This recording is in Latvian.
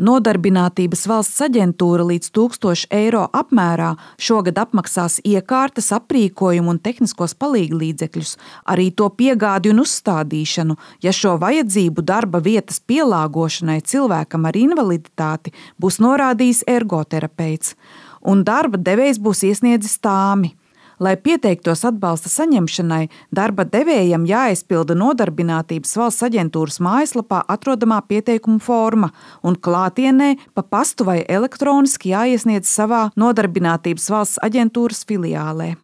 Nodarbinātības valsts aģentūra līdz 1000 eiro apmērā šogad apmaksās iekārtas, aprīkojumu un tehniskos palīglīdzekļus, arī to piegādi un uzstādīšanu, ja šo vajadzību darba vietas pielāgošanai cilvēkam ar invaliditāti būs norādījis ergoterapeits, un darba devējs būs iesniedzis tāmi. Lai pieteiktos atbalsta saņemšanai, darba devējam jāaizpilda Nodarbinātības valsts aģentūras mājaslapā atrodamā pieteikuma forma un klātienē pa pastu vai elektroniski jāiesniedz savā Nodarbinātības valsts aģentūras filiālē.